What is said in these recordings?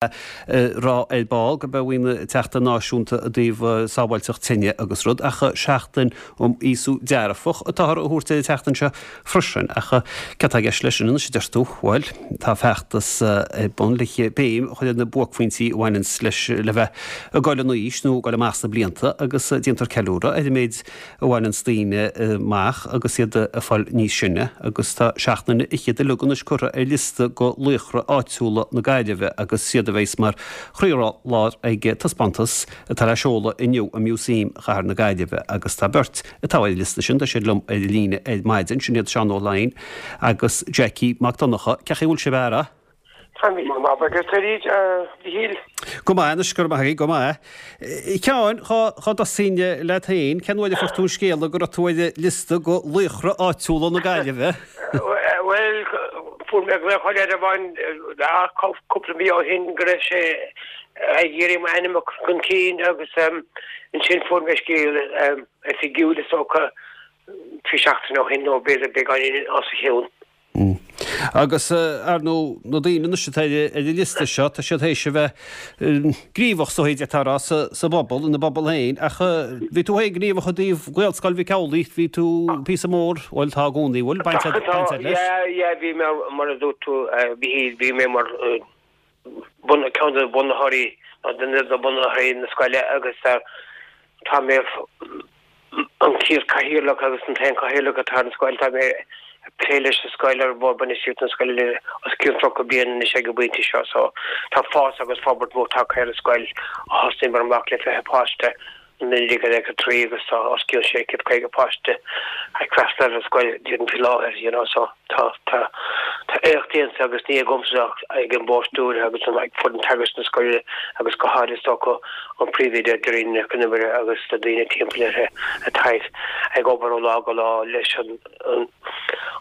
Rá ar ball go mbeidh an tSeachtain Náisiúnta i dtaobh Sábháilteacht Tine agus rud, ach Seachtain um Aosú Dearfach atáthar a thabhairt ar an tseachtain seo freisin. Ach céard atá i gceist leis sin anois, a deir tú? Bhuel, tá feachtas ar bun le béim a chur ar na buaicphointí a bhaineanns leis le bheith ag dul in aois nó ag dul amach sna blianta agus déantar ceiliúradh ar an méid a bhaineanns daoine amach agus iad ag fáil níos sine agus tá seacht nduine fhichead uilig anois curtha ar liosta go laochra áitiúla na Gaillimhe agus siad a bheas mar chroílár ag taispeántas atá le seoladh inniu i Músaem Chathair na Gaillimhe agus tá beirt atá ar an liosta sin, tá siad liom ar an líne ar maidin, sin iad Seán Ó Laighin agus Jackie Mac Donncha. Cén chaoi a bhfuil sibh a fheara? Tá mé go maith, agus tú a Mhichíl? Go maith anois, go raibh maith agat, go maith. A Sheáin, dhá dtosóinn leat féin, cén uair a fuair tú an scéala go raibh tú ar an liosta go laochra áitiúla na Gaillimhe? Bhuel, fuair mé glaoch ó leaid amháin cúpla mí ó shin go raibh sé ag iarraidh m'ainm a chur chun cinn agus ansin fuair mé scéal oifigiúil is dócha trí seachtaine ó shin nó b'fhéidir beagáinín os a chionn. Agus, ar ndóigh, na daoine anois atá ar an liosta seo, tá siad théis a bheith gníomhach, is dóigh, d'fhéadfá a rá, sa bpobal, ina bpobal féin. Ach bhí tú féin gníomhach i dtaobh Ghaelscoil Mhic Amhlaigh, bhí tú píosa mór, bhuel, tá i gcónaí, bhfuil, baint agat leis? Yeah, yeah, bhí mé, mar a dúirt tú, a Mhichíl, bhí mé mar bun, ceann de bhunaitheoirí, nó duine de bhunaitheoirí na scoile agus tá mé an chéad cathaoirleach agus an t-aon chathaoirleach atá ar an scoil. Tá mé ag plé leis an scoil ar bhord bainistíochta na scoile le os cionn 30 bliain anois ag an bpointe seo so tá fás agus forbairt mhór tagtha ar an scoil a thosnaíomar amach le 20 páiste i 1993 agus tá os cionn 650 páiste ag freastal ar an scoil déarfainn faoi láthair you know so tá tá tá éacht déanta agus ní agamsa ach ag an bord stiúrtha agus ag foireann teagaisc na scoile agus go háirithe is dócha an príomhoide Doireann Nic Con Iomaire agus na daoine timpeall uirthi atá ag obair ó lá go lá leis an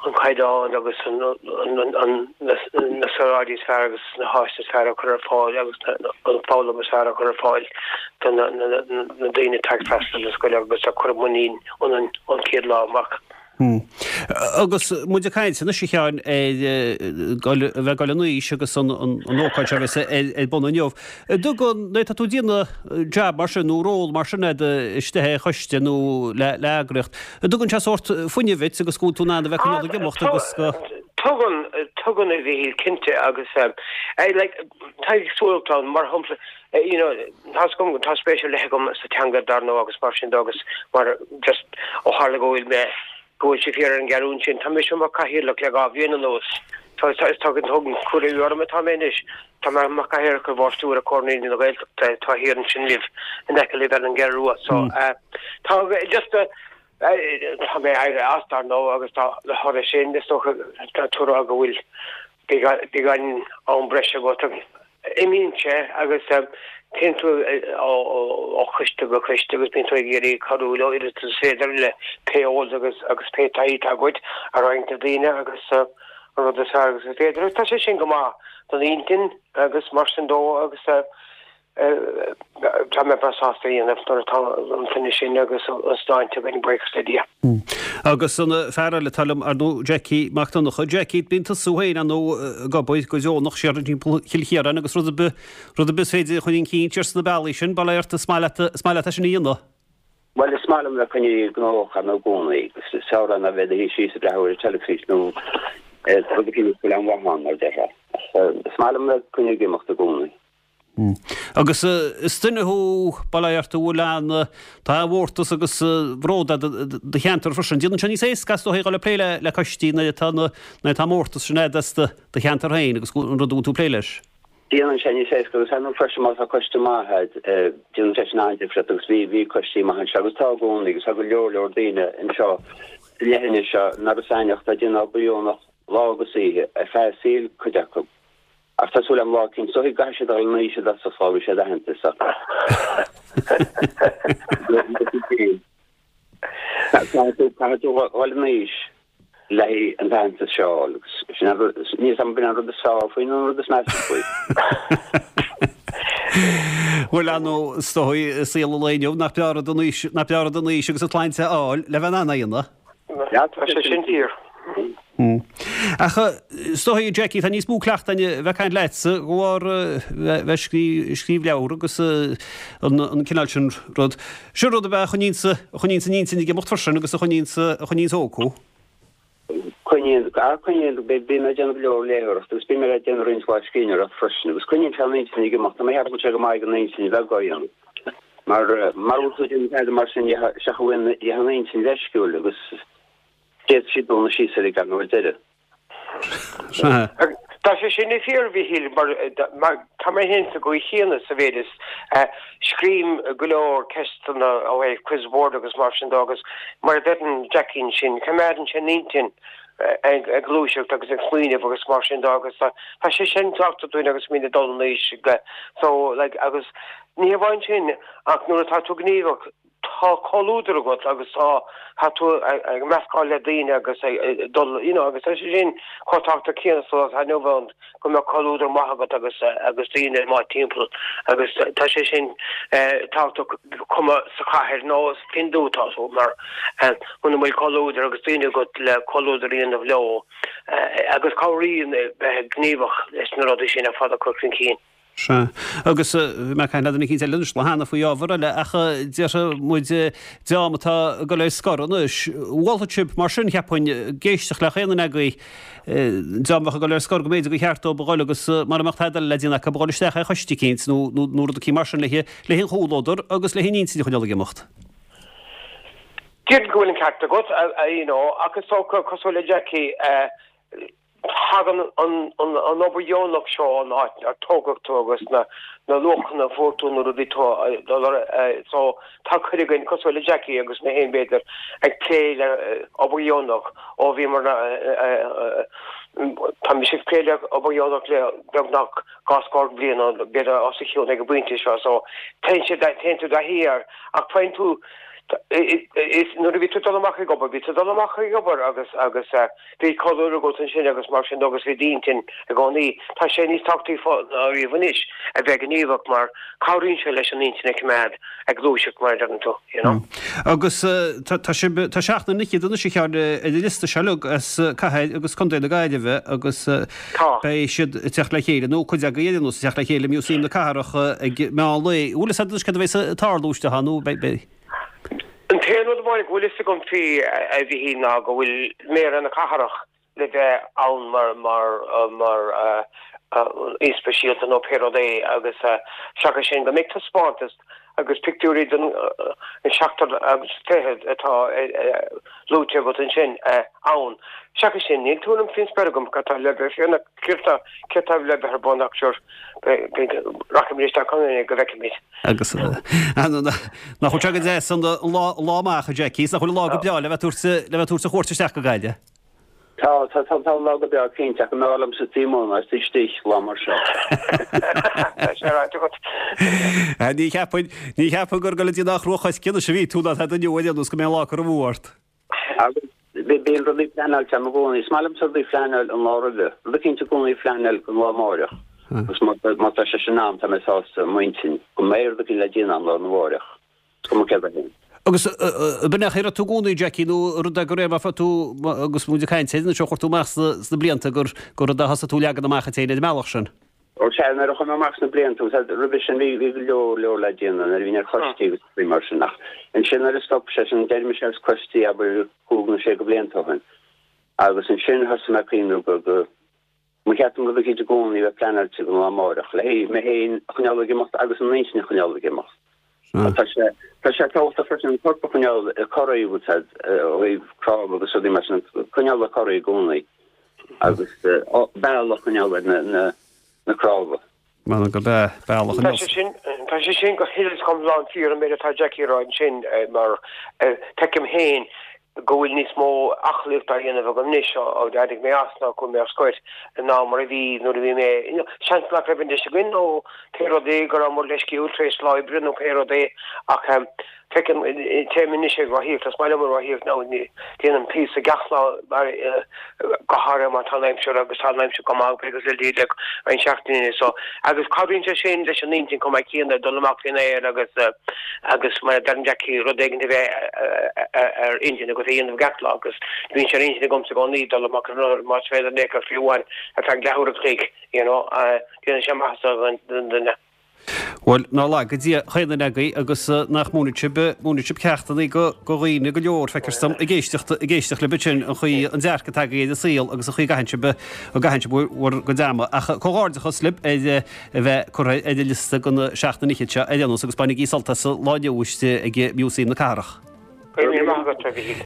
an caighdeán agus an na saoráidí is fearr agus na háiseanna is fearr a chur ar fáil agus an foghlaim is fearr a chur ar fáil do na daoine atá ag freastal ar an scoil agus a cuireadh muinín ionainn ón chéad lá amach. Agus muid ag caint anois, a Sheáin, ar a bheith ag dul in aois agus an ócáid seo a bheas ar bun inniu, an dtugann, nuair atá tú ag déanamh jab mar sin nó ról mar sin agat istigh ar choiste nó le heagraíocht, an dtugann sé sórt fuinnimh duit agus go bhfuil tú in ann a bheith ag coinneáil ag imeacht agus go. Tugann, tugann a Mhichíl, cinnte agus like tá éagsúlacht ann, mar shampla, you know, tá 's agam, tá spéis ar leith agam sa teanga dar ndóigh agus mar sin de agus mar just ó tharla go bhfuil mé, go bhfuil sé fíor ar an gceathrún sin, tá mise mar cathaoirleach le 2 bhliain anuas. Tá, tá, tá, tugann cuireadh orm atá mé anois, tá mé mar cathaoirleach ar bhord stiúrtha Comhar Naíonraí na Gaeltachta atá thiar ansin libh, in aice libh ar an gCeathrú Rua. So, tá just tá mé éirithe as dar ndóigh agus tá de thoradh sin is dócha tá tú ag rá go bhfuil beagán am breise agat agus imíonn sé agus téann tú ó choiste go coiste agus bíonn tú ag iarraidh cabhrú leo oiread is féidir le pé eolas agus agus pé taithí atá agat a roinnt le daoine agus an rud is fearr agus is féidir. Agus tá sé sin go maith don intinn agus mar sin dó agus Tá mé breá sásta a dhéanamh nuair atá an fuinneamh sin agus an sláinte againn, buíochas le Dia. Agus an fear eile atá liom, ar ndóigh, Jackie Mac Donncha. Jackie, bíonn tusa féin, ar ndóigh, ag obair go deonach siar timpeall Chill Chiaráin agus rud ar bith, rud ar bith is féidir a chur chun cinn siar sna bealaí sin, bail ort, is maith leat, is maith leat é sin a dhéanamh. Bhuel, is maith liom bheith coinnithe gnóthach ar ndóigh i gcónaí. Is fearr ná bheith i do shuí síos ag breathnú ar an teilifís nó rud eicínt nach bhfuil aon mhaith ann, mar a déarfá. Is maith liom bheith coinnithe ag imeacht i gcónaí. Agus is duine thú, bail ort, a bhfuil an, tá mórtas agus bród agat i do cheantar freisin. Déanann sé níos éasca is dóigh a dhul ag plé le coistí nuair atá na, nuair atá an mórtas sin agat as do cheantar féin agus an rud a bhfuil tú ag plé leis. Déanann sé níos éasca agus ar ndóigh freisin má tá coiste maith agat, déanann sé sin an-difríocht agus bhí, bhí coistí maithe anseo agus tá i gcónaí agus tá go leor leor daoine anseo sa leithinis seo in Iorras Aithneach atá ag déanamh obair dheonach lá agus oíche ar feadh a saoil, cuid acu. Ach tá súil agam lá eicínt, is dóigh go gcaithfidh siad a dhul in aois i dtosach sula bhfaighidh siad aitheantas ach caithfidh tú caithfidh tú dhul in aois le haghaidh an t-aitheantas seo a fháil agus sin an rud níl 's agam an b'in an rud is fearr faoi nó an rud is measa faoi. Bhuel, ar ndóigh, is dóigh i saol an lae inniu nach breá rud an aois nach breá rud an aois agus an tsláinte a fháil le bheith in ann é a dhéanamh. Tá sé sin fíor. Ach is dóigh, Jackie, tá níos mó cleachta againn a bheith ag caint leatsa de bharr bheith ag scríobh leabhar agus an cineál sin rud. Sin rud ab ea a choinníonns a choinníonns an intinn ag imeacht freisin agus a choinníonns a choinníonns óg thú. Coinníonn, coinníonn, bíonn mé ag déanamh go leor léitheoireachta agus bíonn mé ag déanamh roinnt mhaith scríbhneoireacht freisin agus coinníonn sé an intinn ag imeacht. Tá mé ag ceapadh go bhfuil sé go maith don intinn a bheith á dhéanamh. Mar mura bhfuil tú ag déanamh tada mar sin seach a bhfuil an intinn leisciúil agus D'fhéadfadh sí dúnadh síos uilig ar ndóigh ar deireadh. Tá sé sin fíor, a Mhíchíl, mar tá mé féin sa gcaoi chéanna sa mhéid is scríobhaim go leor ceisteanna ó thaobh quiz board agus mar sin de agus mar a deireann Jackie ansin, coimeádann sé an intinn ag gluaiseacht agus ag smaoineamh agus mar sin de agus tá sé sin tábhachtach dúinn agus muid ag dul in aois so like agus ní hamháin sin ach nuair atá tú gníomhach tá comhluadar agat agus tá, tá tú ag meascáil le daoine agus ag dul, you know, agus tá sé sin chomh tábhachtach céanna sa lá atá inniu ann go mbeadh comhluadar maith agat agus, agus daoine maith timpeall agus tá sé sin tábhachtach cuma sa chathair nó cén dúiche atá tú mar muna bhfuil comhluadar agus daoine agat le comhluadar a dhéanamh leo agus cabhraíonn bheith gníomhach leis na rudaí sin ar fad a chur chun cinn. Sea. Agus bhí mé ag caint le duine eicínt eile anois lá cheana faoi ábhar eile ach déarfaidh muid dream atá ag dul ar scor anois, mholfadh sibh mar sin, cheapfainn, ag éisteacht le chaon duine agaibh, dream a bheadh ag dul ar scor go mb'fhéidir gur cheart dóibh a dhul agus mara mbeadh tada eile le déanamh acu a dhul isteach ar choiste eicínt nó nó rud eicínt mar sin le le an chomhluadar agus le an intinn a choinneáil ag imeacht. Déarfainn go bhfuil an ceart agat, you know, ach is dócha, cosúil le Jackie, Tagann an obair dheonach seo ón áit ar tógadh tú agus na luachanna a fuair tú nuair a bhí tú ag dul ar so tá cuid againn, cosúil le Jackie agus mé féin b'fhéidir, ag plé le obair dheonach ó bhíomar tá mise ag plé le obair dheonach le beagnach dhá scór bliain nó b'fhéidir os a chionn ag an bpointe seo so téann sé téann tú i dtaithí air ach faigheann tú is nuair a bhí tú ag dul amach ag obair bhí tú ag dul amach ag obair agus agus Bhí comhluadar agat ansin agus mar sin de agus bhí d'intinn i gcónaí. Tá sé níos tábhachtaí ná riamh anois a bheith gníomhach mar cabhraíonn sé leis an intinn a choimeád ag gluaiseacht mar a deireann tú, you know. Agus tá sibh, tá seacht nduine fhichead anois a Sheáin ar an liosta seo uilig as cathair agus contae na Gaillimhe agus beidh siad ag teacht le chéile, nó cuid agaibh ar aon nós, ag teacht le chéile i Músaem na Cathrach ag meán lae. Bhfuil fhios agat anois cad a bheas ag tarlú istigh ann nó beidh? An t-aon rud amháin go bhfuil fhios agam faoi, a Mhichíl, ná go bhfuil Méara na Cathrach le bheith ann mar mar mar aoi speisialta nó pé rud é agus seachas sin go mbeidh taispeántas agus pictiúirí den seachtar agus fichead atá luaite agat ansin ann. Seachas sin níl tuairim faoin spéir agam cad tá le bheith céard tá céard tá le bheith ar bun ach sure rachaimid isteach ann go bhfeicfimid. Agus nach bhfuil sé go deas an lá amach, a Jackie, is nach bhfuil an lá go breá le bheith ag tabhairt le bheith ag tabhairt an chuairt isteach go Gaillimh? Tá, tá, tá, tá an lá go breá cinnte ach an mb'fhearr liomsa taobh amuigh ná istigh lá mar seo. Tá sé ráite agat. Ní cheapfainn, ní cheapfainn gur ag dul go dtí an Chruach anois a bhí tú ná tá duine uair aon nós go mbeidh an lá curtha amú ort. Agus bíonn rudaí pleanáilte agam i gcónaí. Is maith liomsa rudaí a phleanáil an lá roimhe. Rud eicínt i gcónaí a phleanáil don lá amáireach. Agus má tá sé sin a'm, tá mé sásta i m'intinn go mbeidh rud eicínt le déanamh a'm lá arna mháireach. Is cuma céard é féin. Agus b'in é a raibh tú i gcónaí, Jackie, nó rud é go raibh mar tú, agus muid ag caint air anois ó chuir tú amach sna blianta gur rud é a thosaigh tú ag leagan amach duit féin ar an mbealach sin? Ó sea, nuair a chuaigh mé amach sna blianta, agus roimhe sin bhí bhí go leor leor le déanamh nuair a bhínn ar choistí agus rudaí mar sin ach ansin nuair a stop sé sin, d'éirigh mise as coistí abair cúig nó sé de bhlianta ó shin agus ansin thosaigh mé ag cuimhneamh go go mba cheart dom rud eicínt i gcónaí a bheith pleanáilte don lá amáireach le mé féin a choinneáil ag imeacht agus an intinn a choinneáil ag imeacht. Tá sé tá sé tábhachtach freisin an corp a choinneáil ag corraí bhfuil a fhios a'd ó thaobh cnámha agus rudaí mar sin, coinneáil ag corraí i gcónaí. agus bealach a choinneáil ar na cnámha. M'anam gurb ea, bealach Tá sé sin, tá sé sin go huile is go hiomlán fíor an méid atá Jackie a rá ansin mar feicim féin go bhfuil níos mó aclaíocht á dhéanamh agam anois ó d'éirigh mé as nó chuaigh mé ar scoir ná mar a bhí nuair a bhí mé, seans nach raibh an deis againn nó pé rud é go rabhamar leisciúil tar éis lá oibre nó pé rud é ach. Feicim, téim anois ag rothaíocht, is maith liom an rothaíocht now, déanaim píosa gach lá mar, go háirithe má tá an aimsir agus tá an aimsir go maith agus le le roinnt seachtainí so. Agus cabhraíonn sé sin leis an intinn chomh maith céanna, dul amach faoin aer agus agus mar a deireann Jackie, rud éigin a bheith ar intinn agat a dhéanamh gach lá agus bíonn sé ar intinn agamsa i gcónaí dul amach ar an rothar más féidir in aon chor fiú amháin ar feadh leathuair a chloig, you know, déanann sé maitheas don duine. Bhuel, ná laga Dia chaon duine agaibh agus nach múinfidh sibh, múinfidh sibh ceachtanna go dhaoine go leor, feictear dom, ag éisteacht, ag éisteacht libh ansin, an chaoi, an dearcadh atá agaibh ar an saol agus an chaoi a gcaitheann sibh, a gcaitheann sibh bhur gcuid ama. Ach comhghairdeachas libh ar a bheith curtha ar an liosta do na seacht an fhichead seo ar aon nós agus bainigí sult as an lá inniu istigh ag Músaem na Cathrach. Go raibh míle maith agat, a Mhichíl.